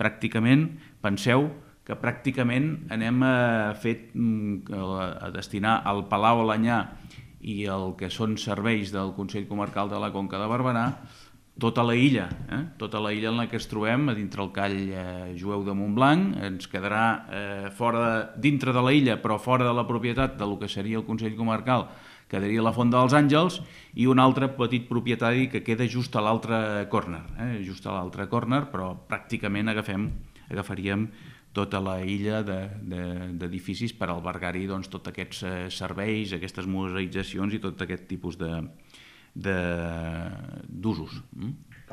pràcticament, penseu que pràcticament anem a destinar al Palau Alanyà i el que són serveis del Consell Comarcal de la Conca de Barberà tota la illa en la que ens trobem, a dintre el call jueu de Montblanc. Ens quedarà dintre de la illa, però fora de la propietat del que seria el Consell Comarcal, quedaria la Font dels Àngels i un altre petit propietari que queda just a l'altre córner, però pràcticament agafaríem tota la illa d'edificis per albergar-hi tots aquests serveis, aquestes museïtzacions i tot aquest tipus d'usos.